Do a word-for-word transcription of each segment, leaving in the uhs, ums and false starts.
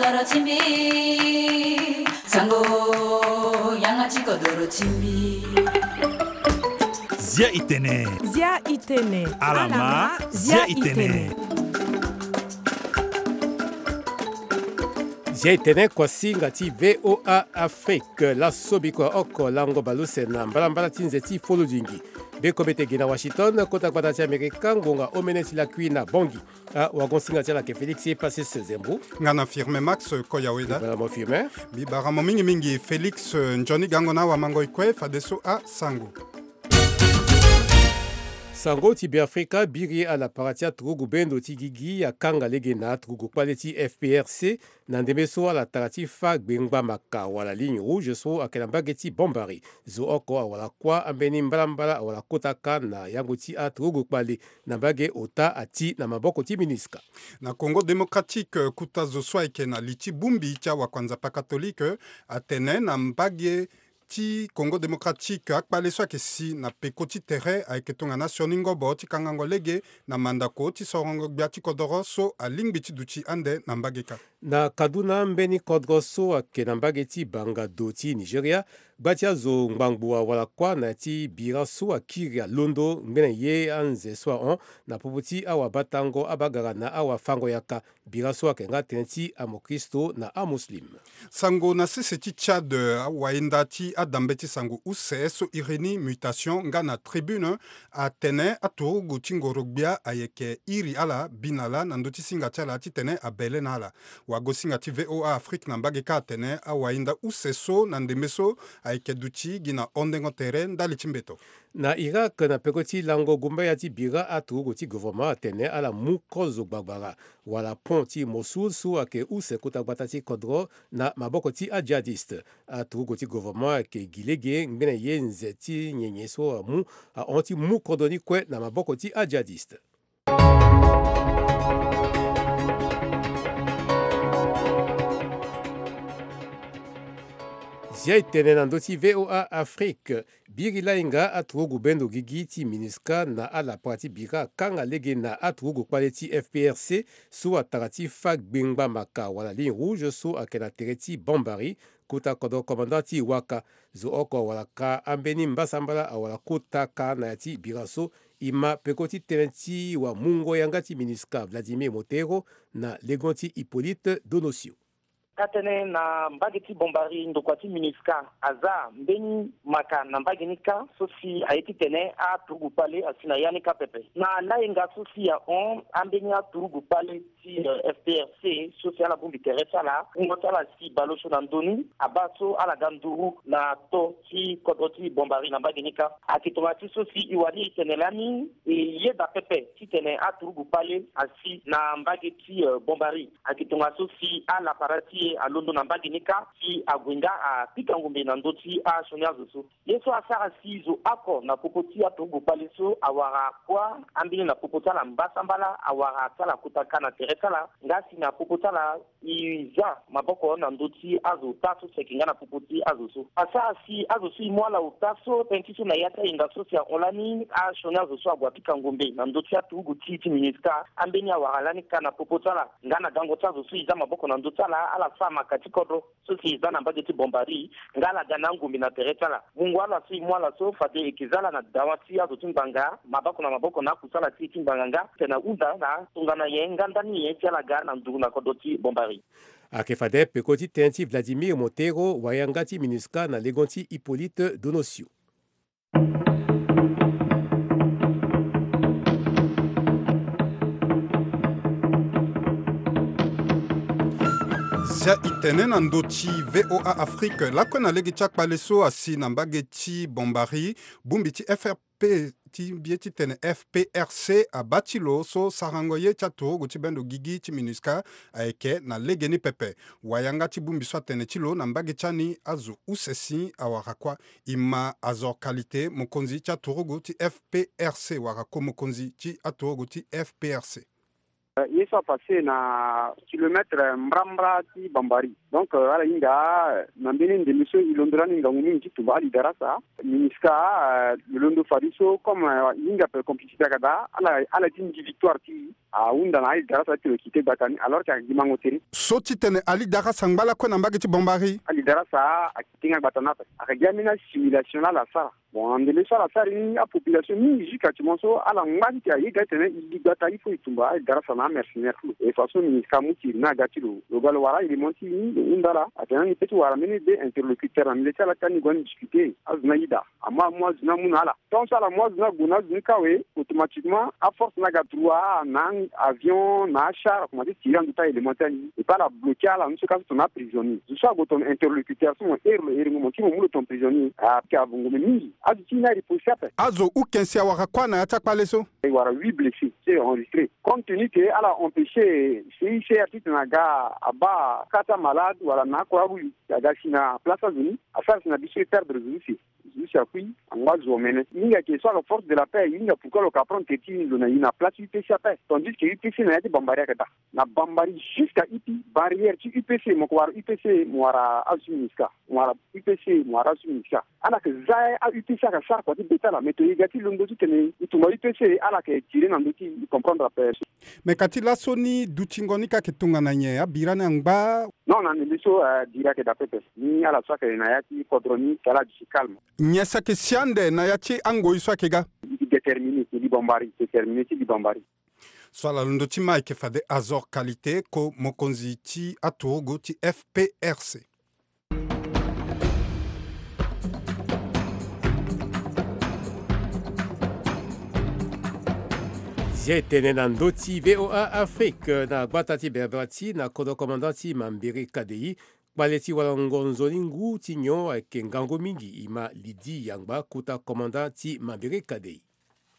Doro ti mbi, sango, yanga ti kodoro ti mbi. Zia itene. Zia itene. Alama, zia itene. Zia itene kuasinga ti V O A Afrique. Laso bikua oko lango baleuse na mbalambala ti nze ti folodingi. Be kobe te gi na Washington, kota gbata ti Amerika, ngonga omene ti lakui na Bangui. Ah, wagon singa ti ala ke Félix Epasis Zembo. Nga na Firmin Max Koyaweda. Bala mo Firmin. Mbi bara mo mingi mingi Félix, eh, nzoni gango na awamango ikue fadeso asango. Sango ti Beafrika biri ala para ti aturugu bendo ti gigi akanga lege na aturugu kpale ti F P R C. Na ndembe so ala tara ti fa gbengbamaka wala ligne rouge so ayeke na mbage ti Bombari. Zo oko awara kuâ ambeni mbalambala awara kota kâ na yango ti aturugu kpale na mbage ota ati na maboko ti MINUSCA. Na Congo Démocratique, eh, kuta zo so ayeke na li ti bongbi ti awakuanzapa katolike, eh, atene na mbage ti Congo Démocratique, akpale so ayeke si na peko ti tere ayeke tongana asioni ngobo ti kangango lege na mandako ti sorongo gbia ti kodoro so alingbi ti duti ande na mbage kâ. Na Kaduna, mbeni kodro so ayeke na mbage ti Bangado ti Nigeria, gba ti azo ngbangbo awara kuâ na ya ti bira so akiri alondo ngbene ye anze so ahon na popo ti awabatango abagara na awafango yaka. Bira so ayeke nga tënë ti amokristo na amuslim. Sango na sese ti Tchad, awahinda ti adambe ti sango use so iri ni Mutation nga na Tribune atene aturugu ti ngoro-gbia ayeke iri ala, bi na ala na ndö ti singa ti ala titene abele na ala. Wago-singa ti V O A Afrique na mbage kâ atene awahinda use so na ndembe so ayeke duti gi na hondengo tere ndali ti mbeto. Na Irak, na peko ti lango gumbaya ti bira, aturugu ti gouvernement atene ala mu kozo gbagbara wala pont ti Mossoul so ayeke use kota gbata ti kodro na maboko ti ajihadiste. Aturugu ti gouvernement ayeke gi lege ngbene ye nze ti nyenye so amu ahon ti mu kodro ni kue na maboko ti ajihadiste. Zia e tene na ndö ti V O A Afrique. Biri lahinga aturugu bendo gigi ti MINUSCA na alapara ti bira akanga lege na aturugu kpale ti F P R C so atara ti fa gbengba maka wala ligne rouge so ayeke na tere ti Bombari, kota kodro commandant ti Waka. Zo oko awara ka ambeni mbasambala awara kota ka na ya ti bira so. E ma peko ti tënë ti wamungo yanga ti MINUSCA Vladimir Montero na legon ti Hippolyte Donosio. Ka tënë na mbage ti Bombari, ndokua ti MINUSCA aza mbeni maka na mbage ni kâ, so si aye titene aturugu kpale asi na ya ni kâ pepe. Na lahinga so si ahon, ambeni aturugu kpale ti, eh, F P R C so si ala bongbi tere ti ala, wungo ti ala si baleuse na ndö ni, abaa so ala ga nduru na to ti kodro ti Bombari na mbage ni kâ. Ayeke tongana ti so si e wani e tene lani, e yeda pepe titene aturugu kpale asi na mbage ti, eh, Bombari. Ayeke tongana so si alapara ti e alondo na mbage ni kâ si ague nga apika ngombe na ndö ti asioni azo so. Ye so asara si zo oko na popo ti aturugu kpale so awara kuâ ambeni na popo ti ala mbasambala awara ti ala kota ka na tere ti ala, nga si na popo ti ala e za maboko na ndö ti azo ota so si ayeke nga na popo ti azo so. Asara si azo so e mu ala ota so tënë ti so na ya ti ahinga so si ahon lani asioni azo so ague apika ngombe na ndö ti aturugu ti, ti MINUSCA, ambeni awara lani ka na popo ti ala, nga na gango ti azo so e za maboko na ndö ti ala, ala sara maka ti kodro so si e za na mbage ti Bombari, nga ala ga na angombe na tere ti ala. Mungo ala so e mu ala so fade e yeke za ala na dawa ti azo ti ngbanga, maboko na maboko na akusala ti e ti ngbanga nga, tene ahunda na tongana nyen nga ndani nyen si ala ga na nduru na kodro ti Bombari. Ayeke fade peko ti tënë ti Vladimir Montero, wayanga ti MINUSCA na legon ti Hippolyte Donosio. Zia e tene na ndö ti V O A Afrique, lakue na lege ti akpale so asi na mbage ti Bombari, bongbi ti F R P ti ye titene F P R C abaa ti lo so sarango ye ti aturugu ti bendo gigi ti MINUSCA ayeke na legeni pepe. Wayanga ti bongbi so atene ti lo na mbage ti ani azo use si awara kuâ. E ma Azor Qualité, mokonzi ti aturugu ti F P R C wala ko-mokonzi ti aturugu ti F P R C. Ye so apasse na kilomètre mbrambra ti Bambari. Donc ala hinga na mbeni ndembe so e londo lani ngangu mingi ti tumba alidarasa. Minisca lo londo fadeso comme e hinga pe complicité aga daa ala ti ngi victoire ti e ahunda na alidarasa ti lo kite gbata ni alors que aga gi mango tere. So ti tene alidarasa ngba lakue na mbage ti Bambari. Alidarasa akite nga gbata ni ape aga gi ambeni assimilation laa ala sara. Bon na ndembe so ala sara ni apopulation mingi jusqu'à ti mo so ala ngba ti ti aye ga ti tene e gi gbata il faut e tumba alidarasa na amercenaire ti lo. E façon minisca amu ti iri ni aga ti lo lo ga lo wara aélément ti e ni lo hunda ala atene ni pe ti wara mbeni deux interlocuteur na milieu ti ala ti ani gue ani discuter azo ni ayeda. Amu amu azo ni amu na ala. Tant so ala mu azo ni ague na azo ni kawe automatiquement aforce ni aga droit na avion na achar akomanse tire na ndö ti aélément ti ani. Et puis ala bloquer ala ni so ka so tongana aprisonnier zo so ague tongana interlocuteur so mo ere lo ere ngo mo ti mo mu lo tongana prisonnier. Apika avongo me mingi azo ti e ni ariposi ape. Azo ukensi awara kuâ na ya ti akpale so. E wara huit blessés so e enregistré. Compte tenu que ala empêcher C I C R ti tena aga abaa ka ti amalade wala na akroix rouge aga si na place azo ni asara si na biso e perdre zo use. Zo use akui angba zo omene. Mingi ayeke so ala force de la paix e hinga pourquoi lo ka prendre tere ti lo na e na place UPC ape tandis que UPC na ya ti Bambari ayeke daa. Na Bambari jusqu'à ipi barrière ti UPC mo ko wara UPC mo wara azo ti minisca mo wara UPC mo wara azo ti minisca. Ala yeke za a UPC ayeke sara kua ti be ti ala mais to e ga ti londo ti tene e tumba UPC ala yeke tire na ndö ti e comprendre ape. Mais ka ti laso ni dutingo ni ka yeke tongana nyen abira ni angba? Non na ndembe so bira ayeke daa pepe. Ni ala so ayeke na ya ti kodro ni si ala duti calme. Nyen si ayeke si ande na ya ti angoi so ayeke ga? Déterminé ti li Bambari déterminé ti li Bambari. So ala londo ti ma ayeke fade Azor Qualité ko mokonzi ti aturugu ti FPRC. Zia e tene na ndö ti VOA Afrique na gbata ti Berberati na kodro commandant ti Mambere Kadei. Kpale ti walango nzoni ngu ti nyon ayeke ngangu mingi e ma Lydie Yangba kota commandant ti Mambere Kadei.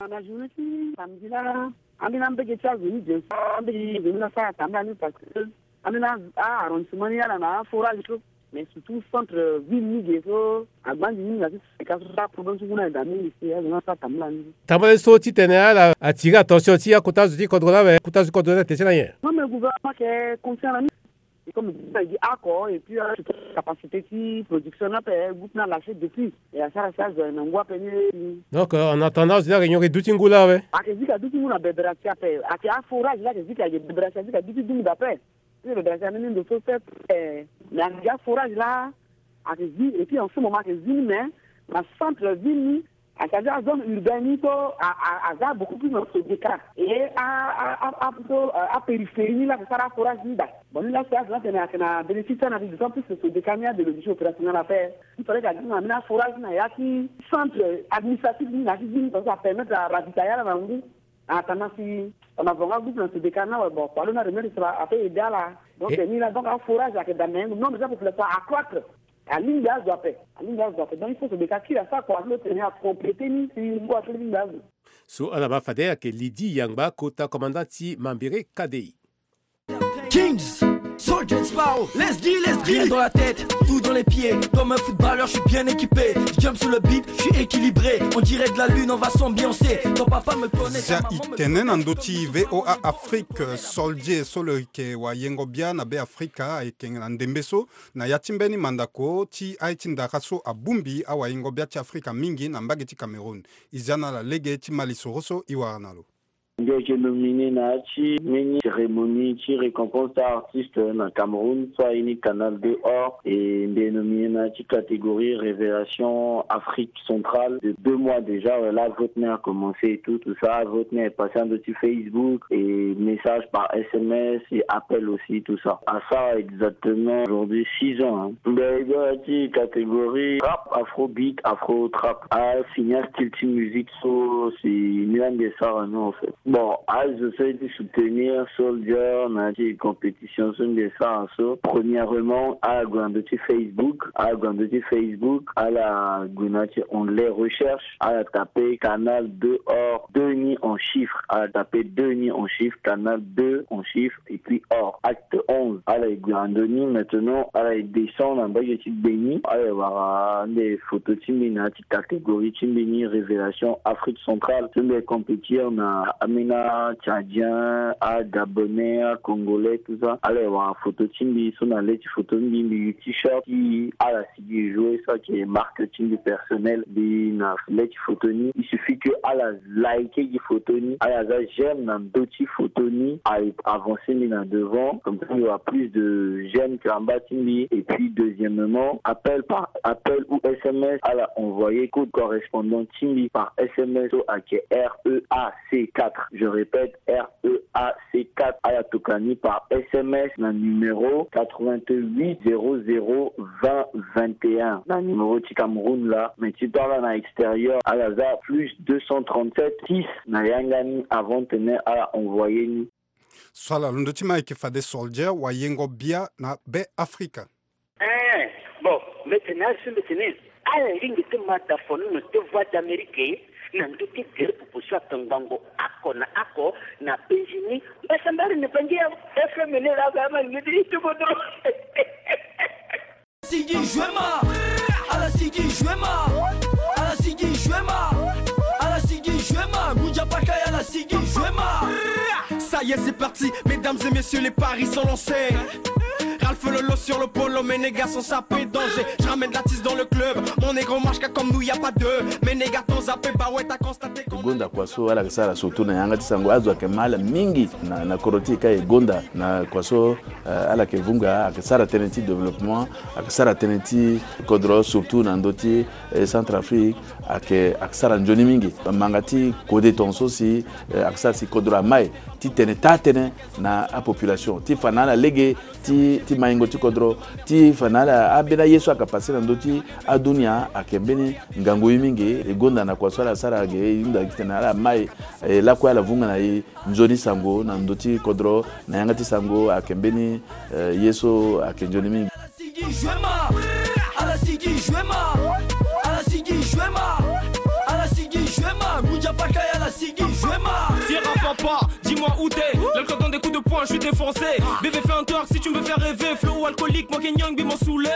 Na journée ti samedi laa ambeni ambege ti azo ni bien sûr ambege ti azo ni laa sara tambula ni parce que ambeni a arrondissement ni ala na aforage so. Mais surtout centre ville ni ge so agbanzi ni na ti seka so aproblème so ngu ni ayeda mingi si azo ni asara tambula ni. Tambula ni so titene ala attirer attention ti akota zo ti kodro laa awe kota zo ti kodro ni ate ti na nyen? Non mais gouvernement ayeke conscient na ni. Et comme e gi oko et puis ala ti capacité ti production ni ape groupe ni alâché depuis. E asara si azo aye na ngu ape ni. Donc en attendant azo ni ayeke nyongo e duti ngu laa awe? Ayeke zi ka duti ngu na Berberati ape ayeke aforage laa ayeke zi ka ge Berberati azi ka duti dungu daa ape. Ti Berberati ambeni ndo so sept. Mais ayeke gi aforage laa ayeke zi et puis en ce moment ayeke zi ni mais na centre ville ni. Ayeke aza azone urbaine ni so aza beaucoup plus na Sodeka. Et a a a so apériphérie ni laa ayeke sara aforage ni daa. Bon ni laa so azo ni atene ayeke na bénéfice ti ana ti d'autant plus que Sodeka ni ade lo duti opérationnel ape. Il fallait que aza na mbeni aforage ni na ya ti centre administratif ni na ya ti ville ni parce que apermettre aravitailler ala na ngu. Atana si tongana vonga groupe na Sodeka ni awe bon kua lo ni aremettre so ape aider ala. Donc ni laa donc aforage ayeke daa mais nombre ti apopulation accroître. Alingbi azo ape. Alingbi azo ape donc il faut so beka kiri asara kua ti lo tene acompléter ni si ngu ape lingbi azo. So ala ma fade ayeke Lydie Yangba kota commandant ti Mambere Kadei. Kings, Soldier Sparrow, let's deal, let's deal. Rien dans la tête, tout dans les pieds. Comme un footballeur, je suis bien équipé. Je jump sur le beat, je suis équilibré. On dirait de la lune, on va s'ambiancer. Ton papa me connaît, ta maman me connaît. Zia e tene na ndö ti VOA Afrique, Soldier so lo yeke wayengo bia na Be Afrika ayeke na ndembe so na ya ti mbeni mandako ti aye ti ndara so abongbi awayengo bia ti Afrika mingi na mbage ti Cameroun. E zia na ala lege ti ma lisoro so e wara na lo. Mbi yeke nominé na ya ti mbeni cérémonie ti récompense ti artiste na Cameroun so aye ni Canal deux Or, et mbi yeke nominé na ya ti catégorie révélation Afrique centrale de deux mois déjà. Ouais, là vote ni a commencé et tout tout ça, vote ni a passé na ndö ti Facebook et message par S M S et appel aussi tout ça. Asara exactement aujourd'hui six ans hein. Mbi yeke na ya ti catégorie rap, afrobeat, afro trap. Asini astyle ti musique so si ni la mbi yeke sara ni en fait. Bon, azo so ye ti soutenir Soldier na ya ti compétition so mbi yeke sara so, premièrement ala gue na ndö ti Facebook, ala gue na ndö ti Facebook, ala gue na ya ti onglet recherche, ala taper Canal deux Or, deux ni en chiffre, ala taper deux ni en chiffre, Canal deux en chiffre et puis Or, acte onze. Ala ye gue na ndö ni, maintenant ala ye descendre na mbage ti gbe ni, ala ye wara nde photo ti mbi na ya ti catégorie ti mbi ni révélation Afrique centrale. So mbi ye compétir na ambeni atchadien, agabon. Bonheur congolais, tout ça. Ala e wara photo ti mbi so na le ti photo ni mbi use t-shirt ti ala sigi e jouer, so ayeke marque ti mbi personnel. Mbi na le ti photo ni, il suffit que ala like gi photo ni, ala za j'aime na ndö ti photo ni, aye avancer mbi na devant, comme ça il y aura plus de j'aime karamba ti mbi. Et puis deuxièmement, appel par appel ou S M S, ala envoyer code correspondant ti mbi par S M S so ayeke R E A C quatre. Je répète, R E A C quatre. Ala toka ni par S M S na numéro quatre-vingt-huit zéro zéro vingt vingt et un, na numéro ti Cameroun laa. Mais ti tongana na extérieur, ala za plus deux cent trente-sept six na yanga ni avant tene ala envoyer ni. So ala londo ti ma ayeke fade Soldier, wayengo bia na Be Afrika. Eh, bon, mbetene, azo mbetene. Ala lingbi ti ma da fo nono ti Voix d'Amérique na ndö ti gere popo so atongbango oko na oko na penzi ni. Mbasambara ni bangi ya F M ni laa, ama lingbi ti ti kodro. Sigi jouer ma, ala sigi jouer ma, ala sigi jouer ma, ala sigi jouer ma, Ngunza Paca ya ala sigi jouer ma. Ça y est, c'est parti, mesdames et messieurs, les paris sont lancés. Ralph Lolo sur le polo, mes négats sont sapés, danger. Je ramène l'artiste dans le club, mon négro marche comme nous, y a pas deux. Mes négats t'ont zappé, bah ouais, t'as constaté qu'on... Gonda kua so ala yeke sara surtout na yanga ti sango, azo ayeke ma ala mingi na, na kodro ti e ka e gonda na kua so, eh, ala yeke vunga, ayeke sara tënë ti développement, ayeke sara tënë ti kodro surtout na ndö ti, eh, Centrafrique, ayeke, ayeke sara nzoni mingi. Manga ti kode tongaso si, eh, ayeke sara si kodro amai titene taa tënë na apopulation ti fa na ala lege ti, ti maingo ti kodro, ti fa na ala ambeni aye so ayeke passe na ndö ti adunia, ayeke mbeni ngangu ye mingi. E gonda na kua so ala sara ge, e hunda titene ala mai, e lakue ala vunga na e nzoni sango na ndö ti kodro, na yanga ti sango ayeke mbeni, eh, ye so ayeke nzoni mingi. Ala sigi jouer ma, ala sigi jouer ma, ala sigi jouer ma, ala sigi jouer ma, Ngunza Paca ya ala sigi jouer ma. Sierra papa, dis-moi où t'es. L'alcool donne des coups de poing, je suis défoncé. Bébé, fais un twerk si tu me veux faire rêver. Flow alcoolique, moi Kenyan, bi mon soulé.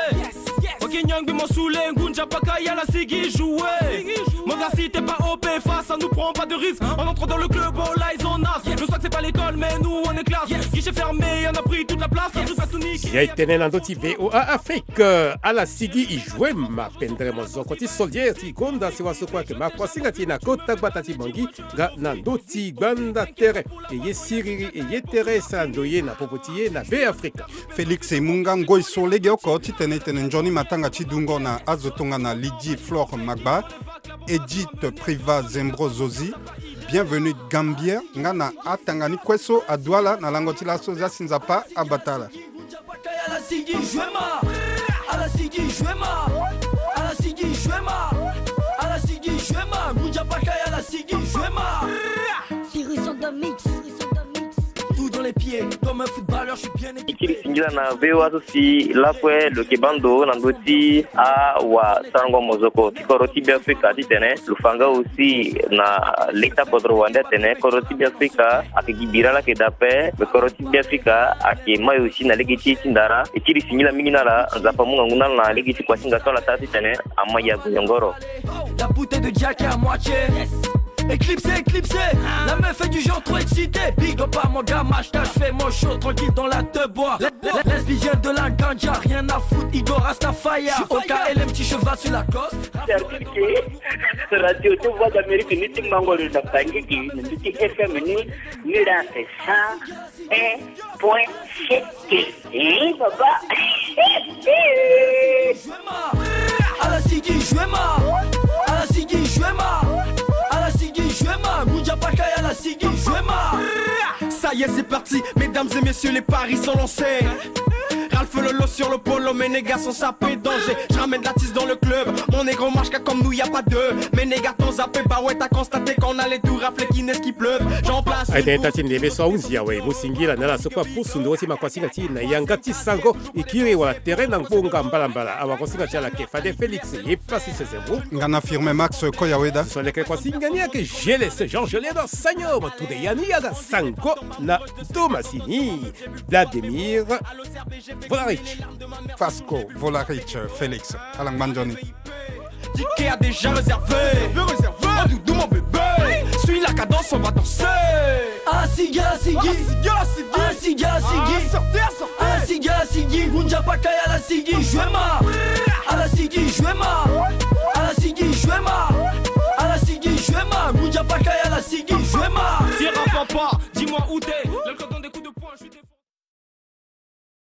Moi Kenyan, bi mon soulé. Ngunza Paca ya ala sigi jouer. Mon gars, si t'es pas O P, face à nous, prends pas de risque. On entre dans le club, all eyes on us. Le swag, c'est pas l'école, mais nous, on est classe. Guichet fermé, on a pris toute la place. On joue pas tout niqué. Ya e tene na ndö ti V O A Afrique, ala sigi e jouer ma, pendere mozoko ti Soldier ti gonda sewa so kue ayeke ma kuasinga ti e na kota gbata ti Bangui nga na ndö ti gbanda tere. E ye siriri, e ye tere e sara ndoye na popo ti e na Be Afrika. Félix, e mu nga ngoi so legeoko titene e tene nzoni matanga ti dungo na azo tongana Lydie Flore Magba, Edith Priva Zembro Zozi, Bienvenue Gambia, nga na atanga ni kue so adu ala na lango ti laso. Zia si Nzapa abata ala. Ala sigi jouer ma, ala sigi jouer ma, ala sigi jouer ma, ala sigi jouer ma, Ngunza Paca ya ala sigi jouer ma. Sirison de mix, Sirison de mix. Tout dans les pieds, comme un footballeur, je suis bien équipé. E kiri singila na V O A so si lakue lo yeke baa ndo na ndö ti awasarango mozoko ti kodro ti Be Afrika titene lo fa nga aussi na leta kodro wande atene kodro ti Be Afrika ayeke gi bira laa ayeke daa ape, me kodro ti Be Afrika ayeke mai aussi na lege ti e ti ndara. E kiri singila mingi na ala, Nzapa amu ngangu na ala na lege ti kuasinga so ala sara titene amai ya goyongoro. La bouteille de Jack est à moitié. Éclipsé, éclipsé. La meuf fait du genre trop excité. Big up à mon gars, Mashka, je fais mon show tranquille dans la deux bois. La, la, la lesbienne de la ganja, rien à foutre, Igor Rastafaya. Je suis au K L M, petit cheval sur la cosse. C'est-à-dire que radio de Voix d'Amérique, ni ti mango na Bangui, ni ti F M, ni, ni la, c'est ça. Un point sept. Eh, papa. Ala sigi jouer ma, ala sigi jouer ma, ala sigi jouer ma, Ngunza Paca ya ala sigi jouer ma. Ça y est, c'est parti, mesdames et messieurs, les paris sont lancés. Ralph Lolo sur le polo, mes négats sont sapés, danger. Je ramène l'artiste dans le club, mon négro marche comme nous, y a pas deux. Mes négats t'ont zappé, bah ouais, t'as constaté qu'on allait tout rafler, qu'il neige, qu'il pleuve. J'en place une. Aye tene tâ ti ndembe so ahunzi awe, e mu singila na ala so kue apusu nduru ti ma kuasinga ti e na yanga ti sango. E kiri wala tere na ngbonga mbalambala, awakuasinga ti ala ayeke fade Félix ye Francis Zembo. Nga na Firmin Max Koyaweda. So leke kuasinga ni ayeke G L S, Jean Geleda Sagno, ma tunde ya ni aga sango na Tomasini, Vladimir Volarich. Fasco Volarich, Félix, ala ngba nzoni. Ticket a déjà réservé. Réservé, réservé. Oh, doudou, mon bébé. Suis la cadence, on va danser. Asigi, asigi. Asigi, asigi. Asigi, asigi. Ah, sortez, sortez. Asigi, asigi. Vunja pakaya la sigi. Joue ma